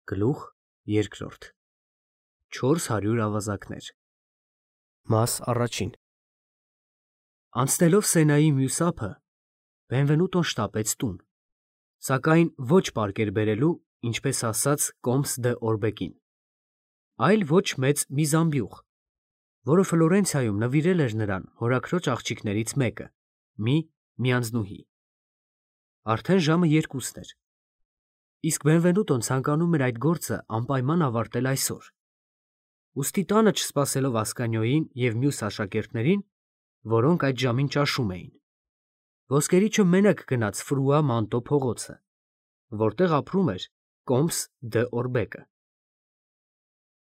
Գլուխ երկրորդ 400 ավազակներ Մաս առաջին Անցնելով Սենայի մյուս ափը, Բենվենուտոն շտապեց տուն, սակայն ոչ պարկեր բերելու, ինչպես ասաց Կոմս դը Օրբեկին, այլ ոչ մեծ մի զամբյուղ, որը Ֆլորենցիայում նվիրել էր նրան հորաքրոջ աղջիկներից մեկը, մի անձնուհի։ Արդեն ժամը 2-ն էր, իսկ Բենվենուտոն ցանկանում էր այդ գործը անպայման ավարտել այսօր։ Ուստի տանը չսպասելով Ասկանիոյին և մյուս աշակերտներին, որոնք այդ ժամին ճաշում էին, ոսկերիչը մենակ գնաց Ֆրուա Մանտո փողոցը, որտեղ ապրում էր Կոմս դը Օրբեկը։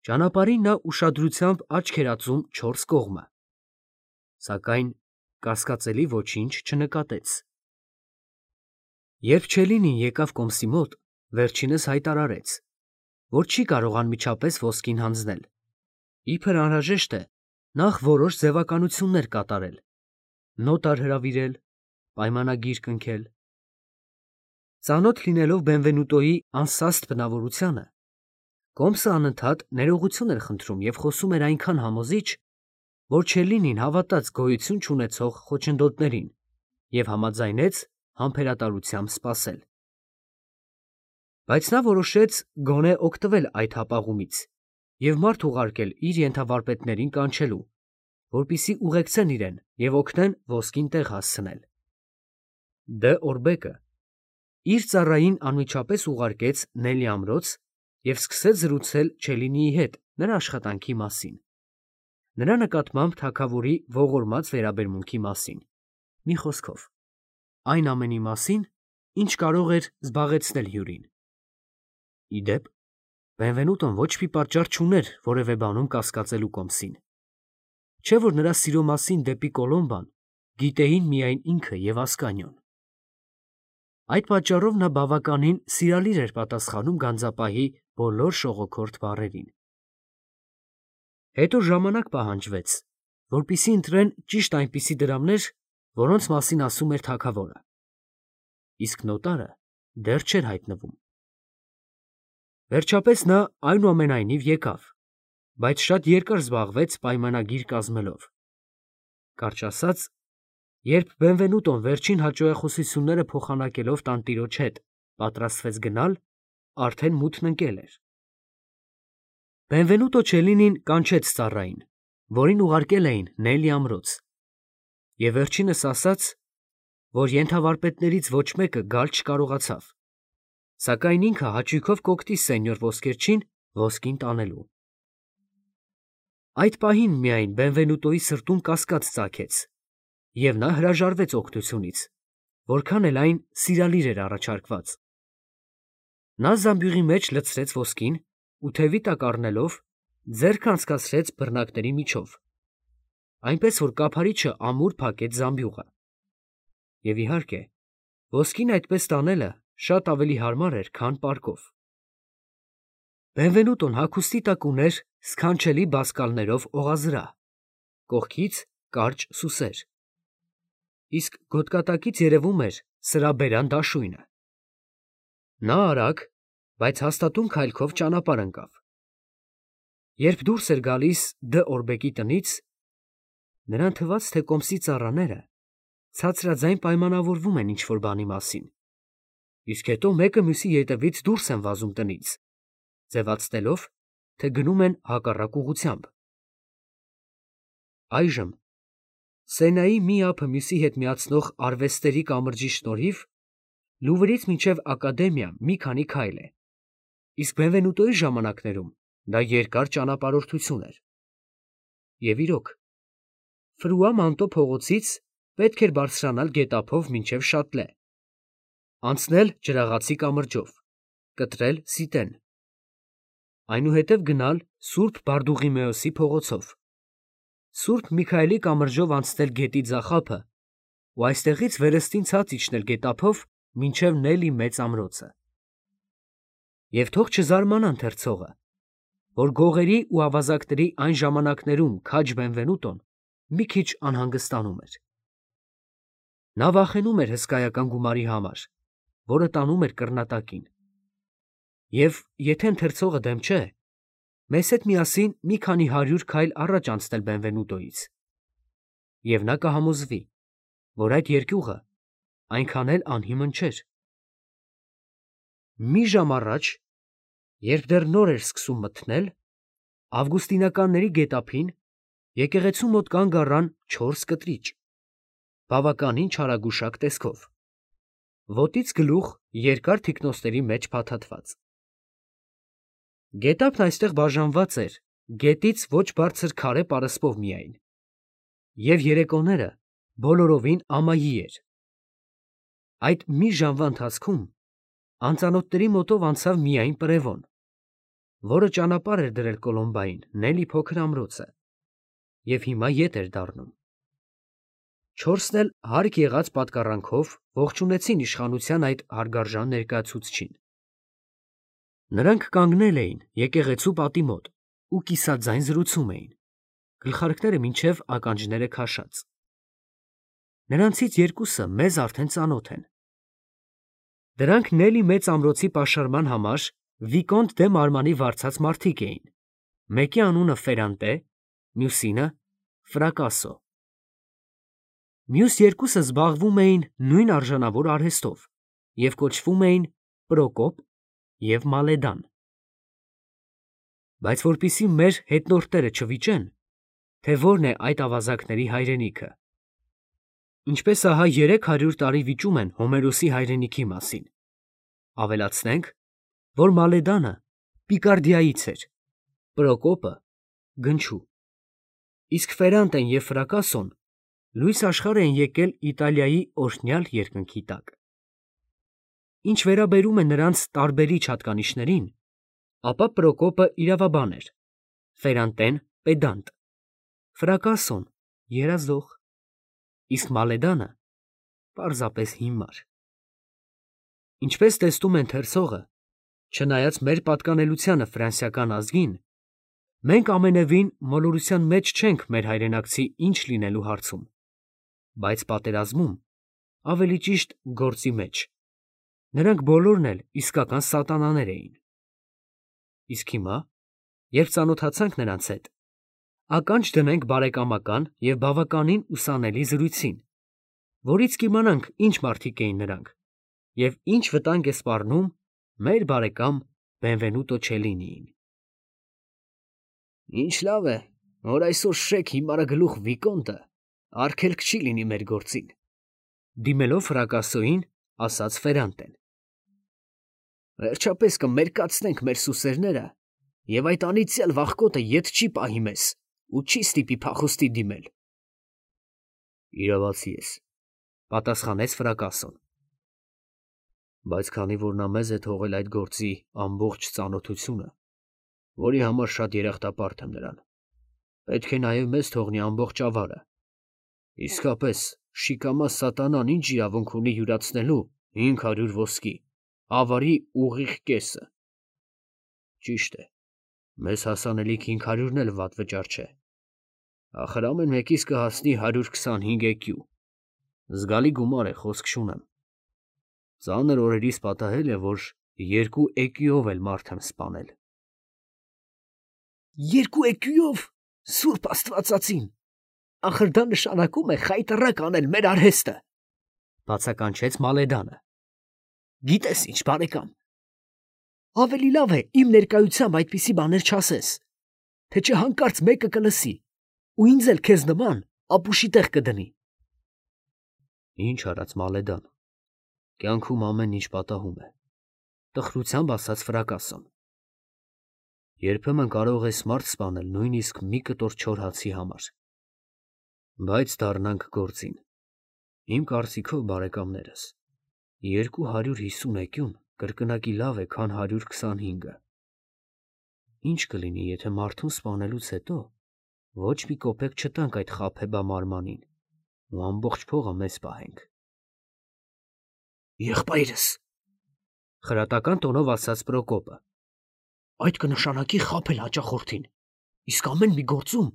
Ճանապարհին նա ուշադրությամբ աչք էր ածում 4 կողմը, սակայն կասկածելի ոչինչ չնկատեց։ Երբ Չելինին եկավ Կոմսի մոտ, վերջինս հայտարարեց, որ չի կարող անմիջապես ոսկին հանձնել, իբր անհրաժեշտ է նախ որոշ ձևականություններ կատարել, նոտար հրավիրել, պայմանագիր կնքել։ Ծանոթ լինելով Բենվենուտոյի անսաստ բնավորությանը, Կոմսը անընդհատ ներողություն էր խնդրում և խոսում էր այնքան համոզիչ, որ Չելինին հավատաց գոյություն չունեցող խոչընդոտներին և համաձայնեց համբերատարությամբ սպասել։ Բայց նա որոշեց գոնե օգտվել այդ հապաղումից և մարդ ուղարկել իր ենթավարպետներին կանչելու, որպեսզի ուղեկցեն իրեն և օգնեն ոսկին տեղ հասցնել։ Դը Օրբեկը իր ծառային անմիջապես ուղարկեց Նելի ամրոց և սկսեց զրուցել Չելինիի հետ նրա աշխատանքի մասին, նրա նկատմամբ թագավորի ողորմած վերաբերմունքի մասին, մի խոսքով, այն ամենի մասին, ինչ կարող էր զբաղեցնել հյուրին։ Ի դեպ, Բենվենուտոն ոչ մի պատճառ չուներ որևէ բանում կասկածելու Կոմսին, չէ՞ որ նրա սիրո մասին դեպի Կոլոմբան գիտեին միայն ինքը և Ասկանիոն։ Այդ պատճառով նա բավականին սիրալիր էր պատասխանում գանձապահի բոլոր շողոքորթ բառերին։ Հետո ժամանակ պահանջվեց, որպեսզի ընտրեն ճիշտ այնպիսի դրամներ, որոնց մասին ասում էր թագավորը, իսկ նոտարը դեռ չէր հայտնվում։ Վերջապես նա այնուամենայնիվ եկավ, բայց շատ երկար զբաղվեց պայմանագիր կազմելով։ Կարճ ասած, երբ Բենվենուտոն վերջին հաճոյախոսությունները փոխանակելով տանտիրոջ հետ պատրաստվեց գնալ, արդեն մութն ընկել էր։ Բենվենուտո Չելինին կանչեց ծառային, որին ուղարկել էին Նելի ամրոց, և վերջինս ասաց, որ ենթավարպետներից ոչ մեկը գալ չկարողացավ, սակայն ինքը հաճույքով կօգնի սենյոր Ոսկերչին ոսկին տանելու։ Այդ պահին միայն Բենվենուտոյի սրտում կասկած ծագեց, և նա հրաժարվեց օգնությունից, որքան էլ այն սիրալիր էր առաջարկված։ Նա զամբյուղի մեջ լցրեց ոսկին ու թևի տակ առնելով ձեռքը անցկացրեց բռնակների միջով, այնպես որ կափարիչը ամուր փակեց զամբյուղը։ Եվ իհարկե, ոսկին այդպես տանելը շատ ավելի հարմար էր, քան պարկով։ Բենվենուտոն հագուստի տակ ուներ սքանչելի բազկալներով օղազրահ, կողքից կարճ սուսեր, իսկ գոտկատակից երևում էր սրաբերան դաշույնը։ Նա արագ, բայց հաստատուն քայլքով ճանապարհ ընկավ։ Երբ դուրս էր գալիս Դը Օրբեկի տնից, նրան թվաց, թե Կոմսի ծառաները ցածրաձայն պայմանավորվում են ինչ-որ բանի մասին, իսկ հետո մեկը մյուսի ետևից դուրս են վազում տնից, ձևացնելով, թե գնում են հակառակ ուղղությամբ։ Այժմ Սենայի մի ափը մյուսի հետ միացնող արվեստերի կամրջի շնորհիվ Լուվրից մինչև Ակադեմիա մի քանի քայլ է, իսկ Բենվենուտոյի ժամանակներում դա երկար ճանապարհորդություն էր։ Եվ իրոք, Ֆրուա Մանտո փողոցից պետք էր բարձրանալ գետափով մինչև Շատլե, անցնել Ջրաղացի կամրջով, կտրել Սիտեն, այնուհետև գնալ Սուրբ Բարդուղիմեոսի փողոցով, Սուրբ Միքայելի կամրջով անցնել գետի ձախ ափը ու այստեղից վերստին ցած իջնել գետափով մինչև Նելի մեծ ամրոցը։ Եվ թող չզարմանա ընթերցողը, որ գողերի ու ավազակների այն ժամանակներում քաջ Բենվենուտոն մի քիչ անհանգստանում էր։ Նա վախենում էր հսկայական գումարի համար, որը տանում էր կռնատակին, Եվ եթե ընթերցողը դեմ չէ, մեզ հետ միասին մի քանի 100 քայլ առաջ անցնել Բենվենուտոից։ Եվ նա կհամոզվի, որ այդ երկյուղը այնքան էլ անհիմն չէր։ Մի ժամ առաջ, երբ դեռ նոր էր սկսում մթնել, ավգուստինականների գետափին եկեղեցու մոտ կանգ առան 4 կտրիճ, բավականին չարագուշակ տեսքով, ոտից գլուխ երկար թիկնոցների մեջ փաթաթված։ Գետափն այստեղ բաժանված էր գետից ոչ բարձր քարե պարսպով միայն, և երեկոները բոլորովին ամայի էր։ Այդ մի ժամվա ընթացքում անծանոթների մոտով անցավ միայն Պրևոն, որը ճանապարհ էր դրել Կոլոմբային Նելի փոքր ամրոցը, և հիմա ետ էր դառնում։ 4-ն էլ հարկ եղած պատկառանքով ողջունեցին իշխանության այդ հարգարժան ներկայացուցչին։ Նրանք կանգնել էին եկեղեցու պատի մոտ ու կիսաձայն զրուցում էին, գլխարկները մինչև ականջները քաշած։ Նրանցից երկուսը մեզ արդեն ծանոթ են։ Դրանք Նելի մեծ ամրոցի պաշարման համար Վիկոնտ դե Մարմանի վարձած մարդիկ էին, մեկի անունը Ֆերանտե, մյուսինը Ֆրակասո։ Մյուս երկուսը զբաղվում էին նույն արժանավոր արհեստով և կոչվում էին Պրոկոպ և Մալեդան։ Բայց որպեսզի մեր հետնորդները չվիճեն, թե որն է այդ ավազակների հայրենիքը, ինչպես ահա 300 տարի վիճում են Հոմերոսի հայրենիքի մասին, ավելացնենք, որ Մալեդանը Պիկարդիայից էր, Պրոկոպը Գնչու, իսկ Ֆերանտեն և Ֆրակասոն լույս աշխարհ են եկել Իտալիայի օրհնյալ երկնքի տակ։ Ինչ վերաբերում է նրանց տարբերիչ հատկանիշներին, ապա Պրոկոպը իրավաբան էր, Ֆերանտեն պեդանտ, Ֆրակասոն երազող, իսկ Մալեդանը պարզապես հիմար։ Ինչպես տեսնում է ընթերցողը, չնայած մեր պատկանելությանը ֆրանսիական ազգին, մենք ամենևին մոլորության մեջ չենք մեր հայրենակցի ինչ լինելու հարցում, բայց պատերազմում, ավելի ճիշտ գործի մեջ, նրանք բոլորն էլ իսկական սատանաներ էին։ Իսկ հիմա, երբ ծանոթացանք նրանց հետ, ականջ դնենք բարեկամական և բավականին ուսանելի զրույցին, որից կիմանանք ինչ մարդիկ էին նրանք և ինչ վտանգ է սպառնում մեր բարեկամ Բենվենուտո Չելինիին։ Ինչ լավ է, որ այսօր շեկ հիմարագլուխ Վիկոնտը արգելք չի լինի մեր գործին, դիմելով Ֆրակասոյին, ասաց Ֆերանտեն։ Վերջապես կմերկացնենք մեր սուսերները, և այդ անիծյալ վախկոտը ետ չի պահի մեզ ու չի ստիպի փախուստի դիմել։ Իրավացի ես, պատասխանեց Ֆրակասոն։ Բայց քանի որ նա մեզ է թողել այդ գործի ամբողջ ծանոթությունը, որի համար շատ երախտապարտ եմ նրան, պետք է նաև մեզ թողնի ամբողջ ավարը։ Իսկապես, շիկամա սատանան ինչ իրավունք ունի յուրացնելու 500 ոսկի, ավարի ուղիղ կեսը։ Ճիշտ է, մեզ հասանելիք 500-ն էլ վատ վճար չէ։ Ախր ամեն մեկից կհասնի 125 էկյու։ Զգալի գումար է, խոսք չունեմ։ Ծանր օրերիս պատահել է, որ 2 էկյուով էլ մարդ եմ սպանել։ 2 էկյուով, Սուրբ Աստվածածին, ախր դա նշանակում է խայտառակ անել մեր արհեստը, բացականչեց Մալեդանը։ Գիտես ինչ, բարեկամ, ավելի լավ է իմ ներկայությամբ այդպիսի բաներ չասես, թե չէ հանկարծ մեկը կլսի ու ինձ էլ քեզ նման ապուշի տեղ կդնի։ Ինչ արած Մալեդան, կյանքում ամեն ինչ պատահում է, տխրությամբ ասաց Ֆրակասոն։ Երբեմն կարող ես մարդ սպանել նույնիսկ մի կտոր չոր հացի համար։ Բայց դառնանք գործին։ Իմ կարծիքով, բարեկամներս, 250 էկյուն կրկնակի լավ է, քան 125-ը։ Ինչ կլինի, եթե մարդուն սպանելուց հետո ոչ մի կոպեկ չտանք այդ խաբեբա մարմանին ու ամբողջ փողը մեզ պահենք։ Եղբայրս, խրատական տոնով ասաց Պրոկոպը, այդ կնշանակի խաբել հաճախորդին, իսկ ամեն մի գործում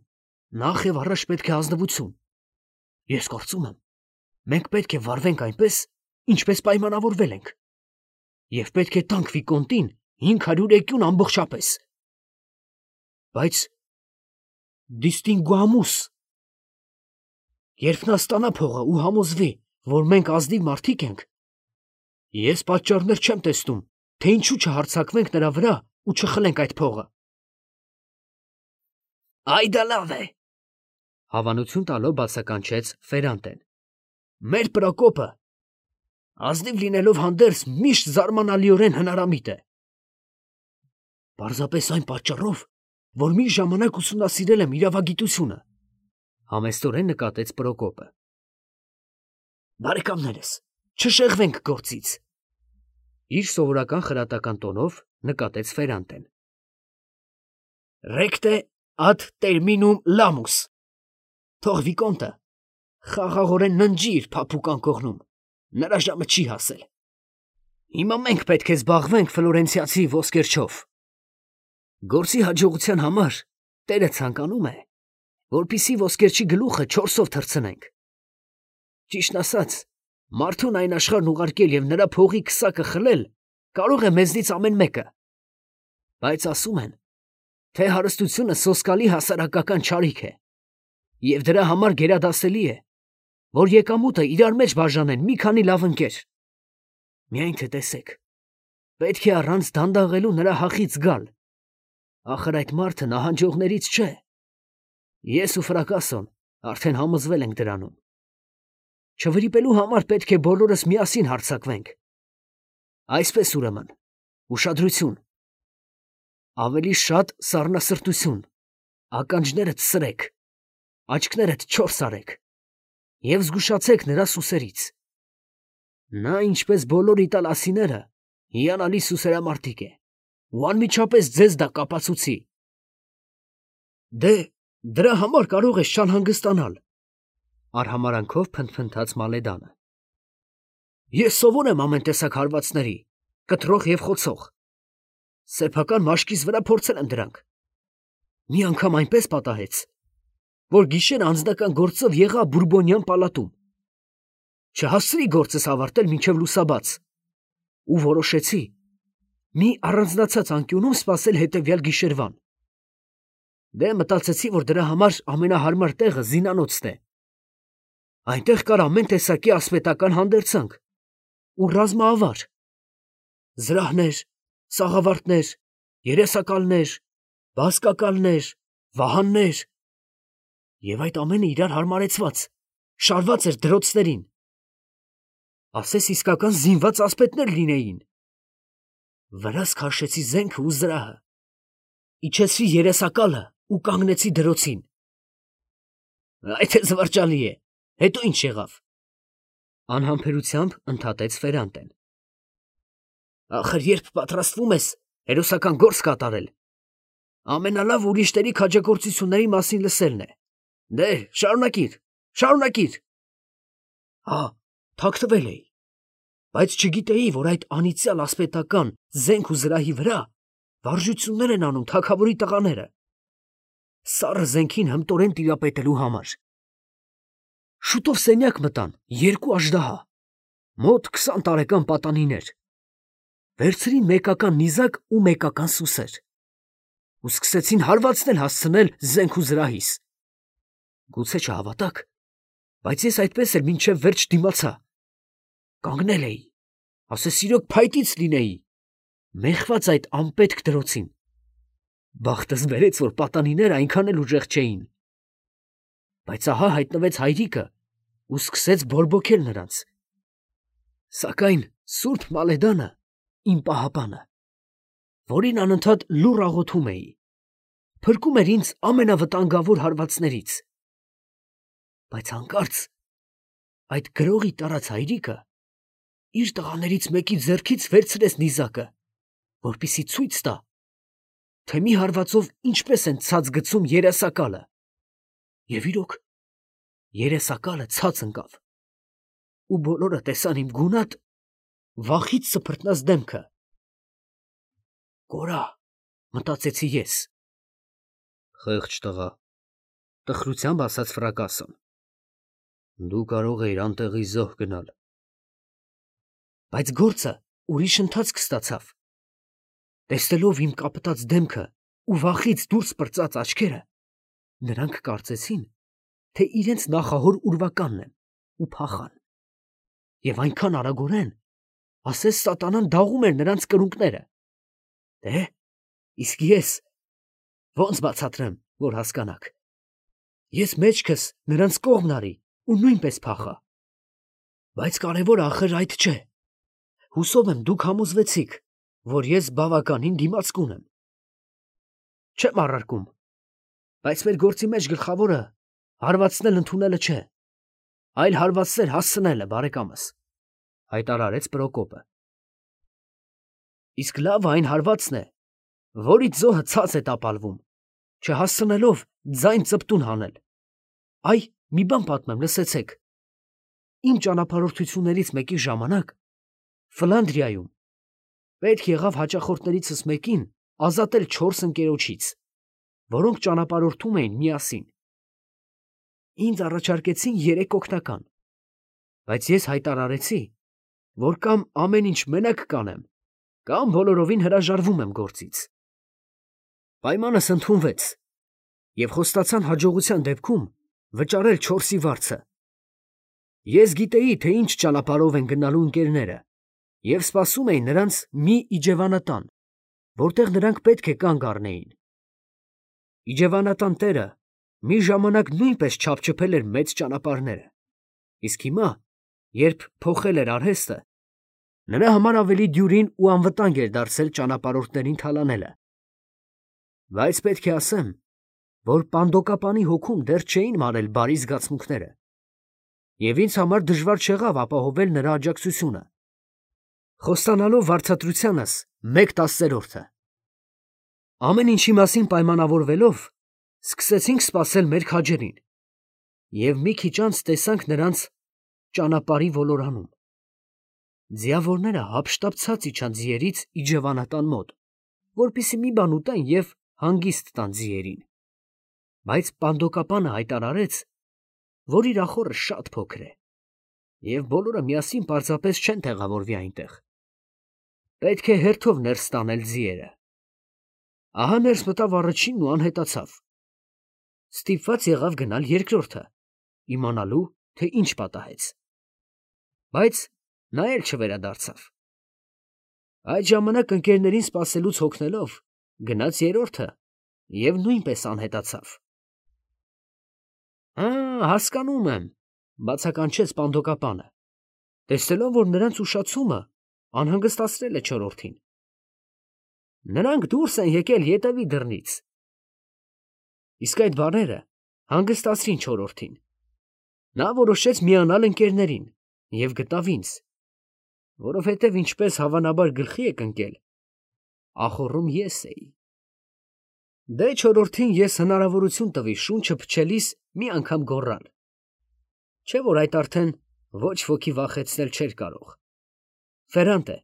նախ և առաջ պետք է ազնվություն։ Ես կարծում եմ, մենք պետք է վարվենք այնպես, ինչպես պայմանավորվել ենք, և պետք է տանք Վիկոնտին 500 էկյուն ամբողջապես։ Բայց դիստինգուամուս, երբ նա ստանա փողը ու համոզվի, որ մենք ազնիվ մարդիկ ենք, ես պատճառներ չեմ տեսնում, թե ինչու չհարձակվենք նրա վրա ու չխլենք այդ փողը։ Այ դա լավ է, հավանություն տալով բացականչեց Ֆերանտեն։ Մեր Պրոկոպը ազնիվ լինելով հանդերձ միշտ զարմանալիորեն հնարամիտ է։ Պարզապես այն պատճառով, որ մի ժամանակ ուսումնասիրել եմ իրավագիտությունը, համեստորեն նկատեց Պրոկոպը։ Բարեկամներս, չշեղվենք գործից, իր սովորական խրատական տոնով նկատեց Ֆերանտեն։ Recte ad terminum lamus, թող վիկոնտը խաղաղորեն ննջի իր փափուկ անկողնում, նրա ժամը չի հասել։ Հիմա մենք պետք է զբաղվենք ֆլորենցիացի ոսկերչով։ Գործի հաջողության համար Տերը ցանկանում է, որպեսզի ոսկերչի գլուխը 4-ով թռցնենք։ Ճիշտն ասած, մարդուն այն աշխարհն ուղարկել եւ նրա փողի քսակը խլել կարող է մեզնից ամեն մեկը։ Բայց ասում են, թե հարստությունը սոսկալի հասարակական չարիք է, եւ դրա համար գերադասելի է, որ եկամուտը իրար մեջ բաժանեն մի քանի լավ ընկեր։ Միայն թե տեսեք, պետք է առանց դանդաղելու նրա հախից գալ։ Ախր այդ մարդը նահանջողներից չէ։ Ես ու Ֆրակասոն արդեն համոզվել ենք դրանում։ Չվրիպելու համար պետք է բոլորս միասին հարձակվենք։ Այսպես ուրեմն, ուշադրություն, ավելի շատ սառնասրտություն, ականջներդ սրեք, աչքներդ չորս արեք և զգուշացեք նրա սուսերից։ Նա, ինչպես բոլոր իտալացիները, հիանալի սուսերամարտիկ է ու անմիջապես ձեզ դա կապացուցի։ Դե, դրա համար կարող ես չանհանգստանալ, արհամարանքով փնթփնթաց Մալեդանը։ Ես սովոր եմ ամեն տեսակ հարվածների, կտրող և խոցող։ Սեփական մաշկիս վրա փորձել եմ դրանք։ Մի անգամ այնպես պատահեց, որ գիշեր անձնական գործով եղա Բուրբոնյան պալատում։ Չհասցրի գործս ավարտել մինչև լուսաբաց ու որոշեցի մի առանձնացած անկյունում սպասել հետևյալ գիշերվան։ Դե մտածեցի, որ դրա համար ամենահարմար տեղը զինանոցն է։ Այնտեղ կար ամեն տեսակի ասպետական հանդերձանք ու ռազմաավար, զրահներ, սաղավարտներ, երեսակալներ, բազկակալներ, վահաններ, և այդ ամենը իրար հարմարեցված, շարված էր դրոցներին։ Ասես իսկական զինված ասպետներ լինեին։ Վրաս քաշեցի զենքը ու զրահը, իջեցրի երեսակալը ու կանգնեցի դրոցին։ Այդ է զվարճալի է, հետո ինչ եղավ։ Անհամբերությամբ ընդհատեց Ֆերանտեն։ Ախր երբ պատրաստվում ես հերոսական գործ կատարել, ամենալավ ուրիշների քաջագործությունների մասին լսելն է։ Դե, շարունակիր, շարունակիր։ Հա, թաքցվել էի, բայց չգիտեի, որ այդ անիծյալ ասպետական զենք ու զրահի վրա վարժություններ են անում թագավորի տղաները, սառը զենքին հմտորեն տիրապետելու համար։ Շուտով սենյակ մտան 2 աժդահա, մոտ 20 տարեկան պատանիներ, վերցրին մեկական նիզակ ու մեկական սուսեր ու սկսեցին հարվածնել հասցնել զենք ու զրահիս։ Գուցե չհավատաք, բայց ես այդպես էլ մինչև վերջ դիմացա։ Կանգնել էի, ասես իրոք փայտից լինեի, մեխված այդ անպետք դրոցին։ Բախտս բերեց, որ պատանիները այնքան էլ ուժեղ չէին։ Բայց ահա հայտնվեց հայրիկը ու սկսեց բորբոքել նրանց։ Սակայն Սուրբ Մալեդանը, իմ պահապանը, որին անընդհատ լուռ աղոթում էի, փրկում էր ինձ ամենավտանգավոր հարվածներից։ Բայց հանկարծ այդ գրողի տարած հայրիկը իր տղաներից մեկի ձեռքից վերցրեց նիզակը, որպեսզի ցույց տա, թե մի հարվածով ինչպես են ցած գցում երեսակալը, և իրոք երեսակալը ցած ընկավ, ու բոլորը տեսան իմ գունատ, վախից սփռտնած դեմքը։ Կորա, մտածեցի ես։ Խեղճ տղա, տխրությամբ ասաց Ֆրակասոն։ Դու կարող էիր անտեղի զոհ գնալ։ Բայց գործը ուրիշ ընթացք ստացավ։ Տեսնելով իմ կապտած դեմքը ու վախից դուրս պրծած աչքերը, նրանք կարծեցին, թե իրենց նախահոր ուրվականն եմ ու փախան։ Եվ այնքան արագորեն, ասես սատանան դաղում էր նրանց կրունկները։ Դե, իսկ ես ո՞նց բացատրեմ, որ հասկանաք։ Ես մեջքս նրանց կողմն արի ու նույնպես փախա։ Բայց կարևորը ախր այդ չէ։ Հուսով եմ դուք համոզվեցիք, որ ես բավականին դիմացկուն եմ։ Չեմ առարկում, բայց մեր գործի մեջ գլխավորը հարվածնել ընդունելը չէ, այլ հարվածներ հասցնելը, բարեկամս, հայտարարեց Պրոկոպը։ Իսկ լավ այն հարվածն է, որից զոհը ցած է տապալվում, չհասցնելով ձայն ծպտուն հանել։ Այ, մի բան պատմեմ, լսեցեք։ Իմ ճանապարհորդություններից մեկի ժամանակ Ֆլանդրիայում պետք եղավ հաճախորդներիցս մեկին ազատել 4 ընկերոջից, որոնք ճանապարհորդում էին միասին։ Ինձ առաջարկեցին 3 օգնական, բայց ես հայտարարեցի, որ կամ ամեն ինչ մենակ կանեմ, կամ բոլորովին հրաժարվում եմ գործից։ Պայմանս ընդունվեց, և խոստացան հաջողության դեպքում վճարել 4-ի վարձը։ Ես գիտեի, թե ինչ ճանապարհով են գնալու ընկերները, և սպասում էի նրանց մի իջևանատան, որտեղ նրանք պետք է կանգ առնեին։ Իջևանատան տերը մի ժամանակ նույնպես չափչփել էր մեծ ճանապարհները, իսկ հիմա, երբ փոխել էր արհեստը, նրա համար ավելի դյուրին ու անվտանգ էր դարձել ճանապարհորդներին թալանելը։ Բայց պետք է ասեմ, որ պանդոկապանի հոգում դեռ չէին մարել բարի զգացմունքները, և ինձ համար դժվար չեղավ ապահովել նրա աջակցությունը, խոստանալով վարձատրությանս 1/10-ը։ Ամեն ինչի մասին պայմանավորվելով, սկսեցինք սպասել մեր քաջերին, և մի քիչ անց տեսանք նրանց ճանապարհի ոլորանում։ Ձիավորները հափշտապցած իջան ձիերից իջևանատան մոտ, որպեսզի մի բան ուտեն և հանգիստ տան ձիերին։ Բայց պանդոկապանը հայտարարեց, որ իր ախոռը շատ փոքր է, և բոլորը միասին պարզապես չեն տեղավորվի այնտեղ։ Պետք է հերթով ներս տանել ձիերը։ Ահա ներս մտավ առաջինն ու անհետացավ։ Ստիպված եղավ գնալ երկրորդը, իմանալու, թե ինչ պատահեց։ Բայց նա էլ չվերադարձավ։ Այդ ժամանակ ընկերներին սպասելուց հոգնելով, գնաց երրորդը և նույնպես անհետացավ։ Հասկանում եմ, բացականչեց պանդոկապանը, տեսնելով, որ նրանց ուշացումը անհանգստացրել է չորրորդին։ Նրանք դուրս են եկել ետևի դռնից։ Իսկ այդ բառերը հանգստացրին չորրորդին։ Նա որոշեց միանալ ընկերներին և գտավ ինձ, որովհետև ինչպես հավանաբար գլխի եք ընկել, ախոռում ես էի։ Դե չորրորդին ես հնարավորություն տվի շունչը փչելիս մի անգամ գոռալ, չէ՞ որ այդ արդեն ոչ ոքի վախեցնել չէր կարող։ Ֆերանտե,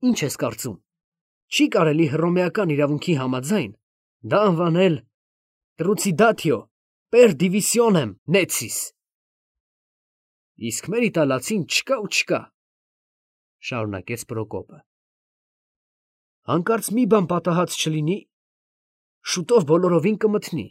ի՞նչ ես կարծում, չի՞ կարելի հռոմեական իրավունքի համաձայն դա անվանել Trucidatio per divisionem necis։ Իսկ մեր իտալացին չկա ու չկա, շարունակեց Պրոկոպը։ Հանկարծ մի բան պատահած չլինի, շուտով բոլորովին կմթնի։